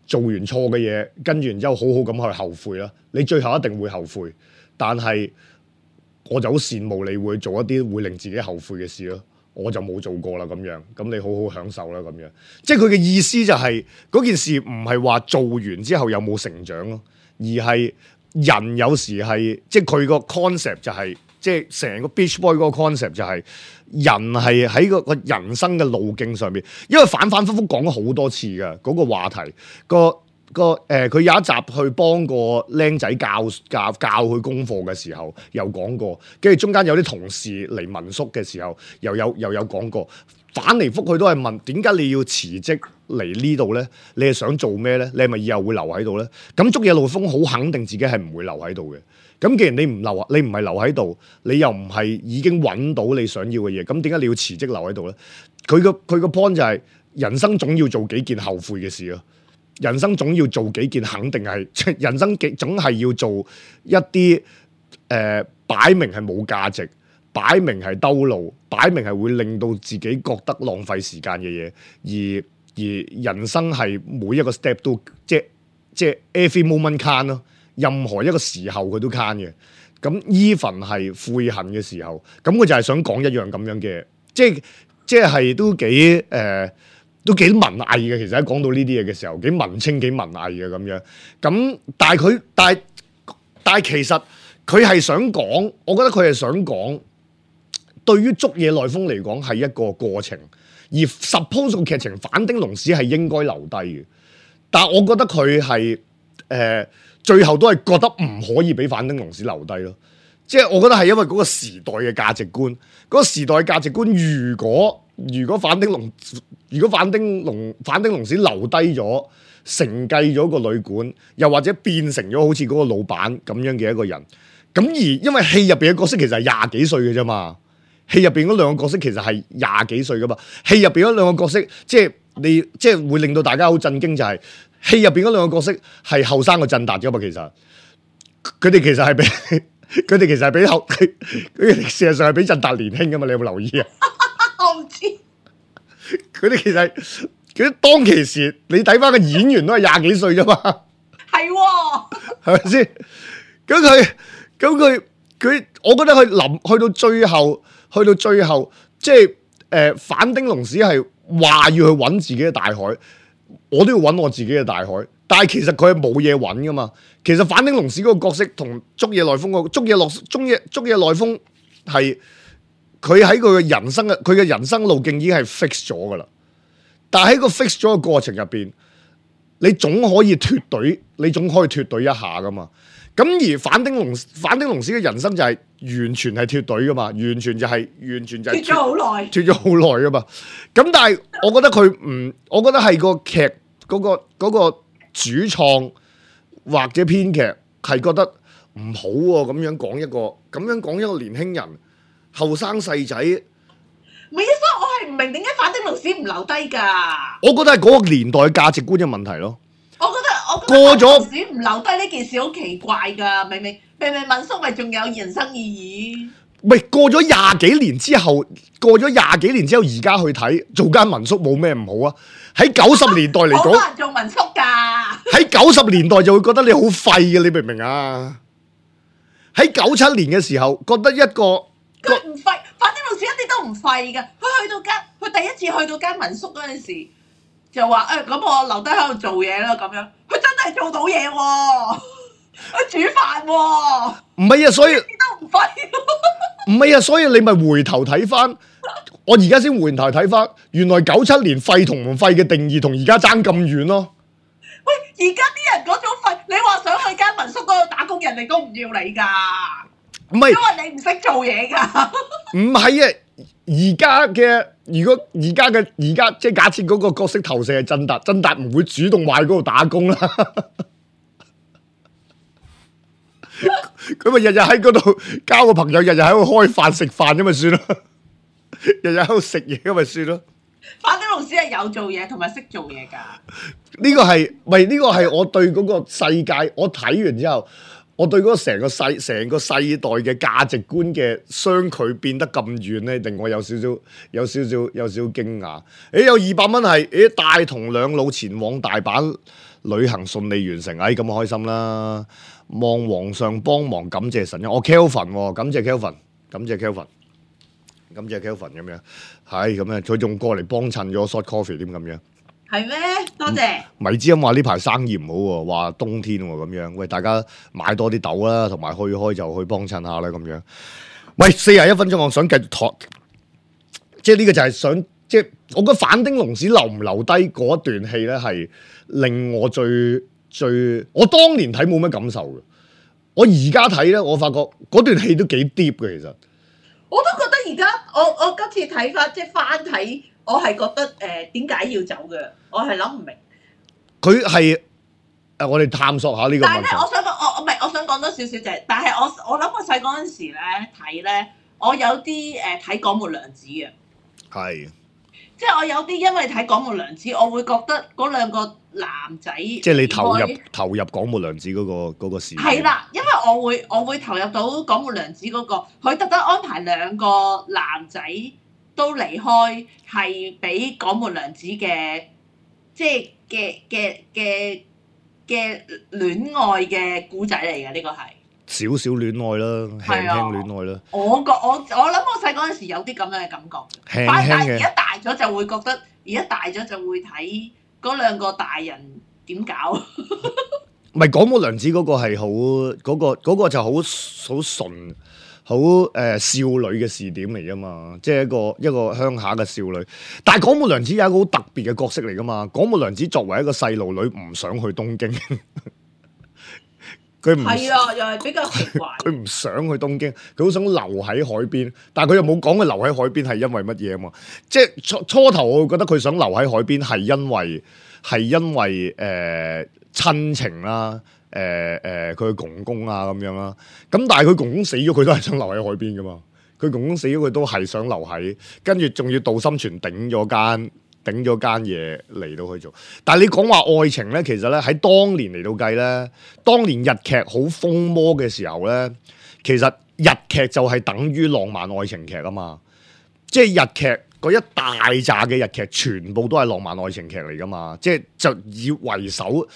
Speaker 2: 做完錯嘅嘢，跟住然之後好好咁去後悔啦。你最後一定會後悔，但係我就好羨慕你會做一啲會令自己後悔嘅事咯。我就冇做過啦咁樣，咁你好好享受啦咁樣。即係佢嘅意思就係、是、嗰件事唔係話做完之後有冇成長咯，而係人有時係即係佢個 concept 就係、是、即係成個 Beach Boy 嗰個 concept 就係、是、人係喺個個人生嘅路徑上面，因為反反复覆講咗好多次嘅嗰、那個話題，個個誒佢有一集去幫個僆仔教教教佢功課嘅時候，有講過，跟住中間有啲同事嚟民宿嘅時候，又有又有講過，反嚟覆去都係問點解你要辭職嚟呢度咧？你係想做咩咧？你係咪以後會留喺度咧？咁竹野內豐好肯定自己係唔會留喺度嘅。咁既然你唔留啊，你唔係留喺度，你又唔係已經揾到你想要嘅嘢，咁點解你要辭職留喺度咧？佢個佢個 point 就係、是、人生總要做幾件後悔嘅事咯，人生總要做幾件肯定係，人生總係要做一啲誒擺明係冇價值，擺明係兜路，擺明係會令到自己覺得浪費時間嘅嘢，而而人生係每一個 step 都即即 every moment can 咯。任何一個時候佢都 can 嘅，咁 even 係悔恨嘅時候，咁佢就係想講一樣咁樣嘅，即係即係都幾誒、呃，都幾文藝嘅。其實喺講到呢啲嘢嘅時候，幾文青幾文藝嘅咁樣。咁但係佢，但係但係其實佢係想講，我覺得佢係想講，對於竹野內豐嚟講係一個過程，而 suppose 個劇情反町隆史係應該留低嘅，但係我覺得佢係誒。呃最後都係覺得唔可以俾反町隆史留低咯，即係我覺得係因為嗰個時代嘅價值觀，嗰、嗰個時代嘅價值觀，如果如果反町隆如果反町隆反町隆史留低咗，承繼咗個旅館，又或者變成咗好似嗰個老闆咁樣嘅一個人，咁而因為戲入邊嘅角色其實係廿幾歲嘅啫嘛，戲入邊嗰兩個角色其實係廿幾歲噶嘛，戲入邊嗰兩個角色即係你即係會令到大家好震驚就係、是。戲入邊嗰兩個角色係後生過振達噶嘛，其實佢哋其實係比佢哋其實係比後佢哋事實上係比振達年輕噶嘛，你有冇留意啊？
Speaker 3: 我唔知。
Speaker 2: 佢哋其實佢當其時，你睇翻個演員都係廿幾歲啫嘛。係喎，係咪先？咁佢咁佢佢，我覺得佢臨去到最後，去到最後，即係誒、呃，反町隆史係話要去揾自己嘅大海。我都要揾我自己嘅大海，但係其實佢係冇嘢揾噶嘛。其實反町隆史嗰個角色同竹野內豐個竹野落竹野竹野內豐係佢喺佢嘅人生嘅佢嘅人生路徑已經係 fix 咗噶啦。但係喺個 fix 咗嘅過程入邊，你總可以脫隊，你總可以脫隊一下噶嘛。咁而反町隆反町隆史嘅人生就係完全係脫隊噶嘛，完全就係、是、完全就係脫咗好耐，脫咗好耐噶嘛。咁但係我覺得佢唔，我覺得係個劇嗰、嗰個、嗰個主創或者編劇係覺得唔好喎、啊，咁樣講一個，咁樣講一個年輕人後生細仔。
Speaker 3: 唔係啊，所以我係唔明點解反町隆史唔留低㗎。
Speaker 2: 我覺得係嗰個年代嘅價值觀嘅問題咯。
Speaker 3: 我覺得我過咗唔留低呢件事好奇怪㗎，明明明明民宿咪仲有人生意義。
Speaker 2: 喂，過咗廿幾年之後，過咗廿幾年之後，而家去睇做間民宿冇咩唔好啊？喺九十年代嚟講，
Speaker 3: 好難做民宿㗎。
Speaker 2: 喺九十年代就會覺得你好廢嘅，你明唔明啊？喺九七年嘅時候，覺得一個
Speaker 3: 佢唔廢，反正老師一啲都唔廢㗎。佢去到間，佢第一次去到間民宿嗰陣時，就話誒，咁、我留低喺度做嘢啦咁樣。佢真係做到嘢喎，佢煮飯喎。
Speaker 2: 唔係啊，所以
Speaker 3: 一啲都唔廢。
Speaker 2: 唔係啊，所以你咪回頭睇翻，我而家先回頭睇翻，原來九七年廢同唔廢嘅定義同而家爭咁遠咯。
Speaker 3: 喂，而家啲人嗰種廢，你話想去間民宿嗰度打工，人哋都唔要你㗎。
Speaker 2: 唔係，
Speaker 3: 因為你唔識做嘢㗎。
Speaker 2: 唔係啊，而家嘅如果而家嘅而家即係假設嗰個角色投射係振達，振達唔會主動話喺嗰度打工啦。佢咪日日喺嗰度交個朋友，日日喺度開飯食飯咁咪算咯，日日喺度食嘢咁咪算咯。
Speaker 3: 反正老師係有做嘢同埋識做嘢㗎。
Speaker 2: 呢個係咪呢個係我對嗰個世界，我睇完之後，我對嗰個成個世成個世代嘅價值觀嘅相距變得咁遠咧，令我有少少有少少有少少驚訝。誒，有二百蚊係誒帶同兩老前往大阪旅行順利完成，哎咁開心啦！望皇上幫忙，感謝神恩。我 Kelvin 喎，感謝 Kelvin，感謝 Kelvin，感謝 Kelvin 咁樣，係咁樣，佢仲過嚟幫襯咗 short coffee 點咁樣。
Speaker 3: 係咩？多謝。
Speaker 2: 米之音話呢排生意唔好喎，話冬天喎咁樣。喂，大家買多啲豆啦，同埋去開就去幫襯下啦咁樣。喂，四十一分鐘，我想繼續托，即係呢個就係想，即係我覺得反町隆史留唔留低嗰段戲咧，係令我最最，我當年睇冇乜感受嘅。我而家睇咧，我發覺嗰段戲都幾 deep 嘅，其實。
Speaker 3: 我都覺得而家我我今次睇翻即係翻睇，我係覺得誒點解要走嘅？我係諗唔明。
Speaker 2: 佢係誒，我哋探索下呢個問題。
Speaker 3: 但係咧，我想講，我我唔係，我想講多少少就係，但係我我諗我細嗰陣時咧睇咧，我有啲誒睇廣末涼子嘅。
Speaker 2: 係。
Speaker 3: 即係我有啲因為睇廣末涼子，我會覺得嗰兩個男仔，即
Speaker 2: 係你投入投入廣末涼子嗰、嗰個嗰、嗰個事。
Speaker 3: 係啦，因為我會我會投入到廣末涼子嗰、嗰個，佢特登安排兩個男仔都離開，係俾廣末涼子嘅，即係嘅嘅嘅嘅戀愛嘅故仔嚟嘅，呢個係
Speaker 2: 少少戀愛啦，輕輕戀愛啦。
Speaker 3: 我覺我我諗我細嗰陣時有啲咁樣嘅感覺，
Speaker 2: 輕輕
Speaker 3: 但係而家大咗就會覺得，而家大咗就會睇嗰兩個大人點搞。
Speaker 2: 唔係廣末涼子嗰個係好嗰個嗰、嗰個就好好純好誒、呃、少女嘅視點嚟噶嘛，即係一個一個鄉下嘅少女。但係廣末涼子有一個好特別嘅角色嚟噶嘛。廣末涼子作為一個細路女，唔想去東京。佢唔係
Speaker 3: 啊，又係比較奇怪。
Speaker 2: 佢唔想去東京，佢好想留喺海邊，但係佢又冇講佢留喺海邊係因為乜嘢啊嘛？即係初初頭我會覺得佢想留喺海邊係因為係因為誒、呃、親情啦，誒誒佢公公啊咁樣啦。咁但係佢公公死咗，佢都係想留喺海邊噶嘛。佢公公死咗，佢都係想留喺，跟住仲要杜心泉頂咗間。頂咗間嘢嚟到去做，但係你講話愛情咧，其實咧喺當年嚟到計咧，當年日劇好風魔嘅時候咧，其實日劇就係等於浪漫愛情劇啊嘛，即係日劇嗰一大扎嘅日劇全部都係浪漫愛情劇嚟噶嘛，即係就以為首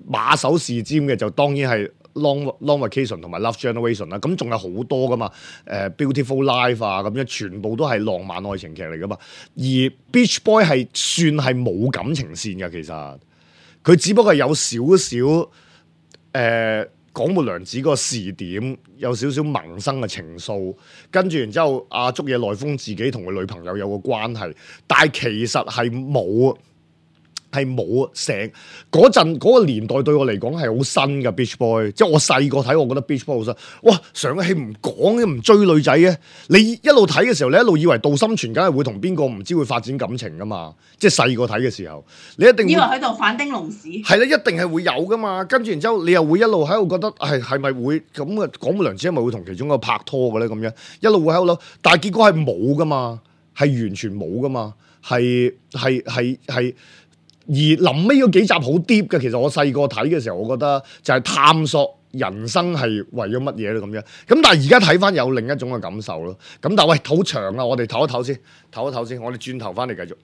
Speaker 2: 馬首是瞻嘅就當然係。Long Long Vacation 同埋 Love Generation 啦，咁仲有好多噶嘛，誒、呃、Beautiful Life 啊咁樣，全部都係浪漫愛情劇嚟噶嘛。而 Beach Boy 係算係冇感情線嘅，其實佢只不過係有少少誒廣末涼子個視點，有少少萌生嘅情愫，跟住然之後阿竹野內豐自己同佢女朋友有個關係，但係其實係冇。係冇成嗰陣嗰個年代對我嚟講係好新嘅 Beach Boy，即係我細個睇，我覺得 Beach Boy 好新。哇！上個戲唔講嘅，唔追女仔嘅，你一路睇嘅時候，你一路以為杜心泉梗係會同邊個唔知會發展感情噶嘛？即係細個睇嘅時候，你一定
Speaker 3: 以為喺度反町隆史
Speaker 2: 係啦，一定係會有噶嘛。跟住然之後，你又會一路喺度覺得係係咪會咁嘅廣末涼子係咪會同其中一個拍拖嘅咧？咁樣一路會喺度諗，但係結果係冇噶嘛，係完全冇噶嘛，係係係係。而臨尾嗰幾集好 deep 嘅，其實我細個睇嘅時候，我覺得就係探索人生係為咗乜嘢咧咁樣？咁但係而家睇翻有另一種嘅感受咯。咁但係喂，好長啊，我哋唞一唞先，唞一唞先，我哋轉頭翻嚟繼續。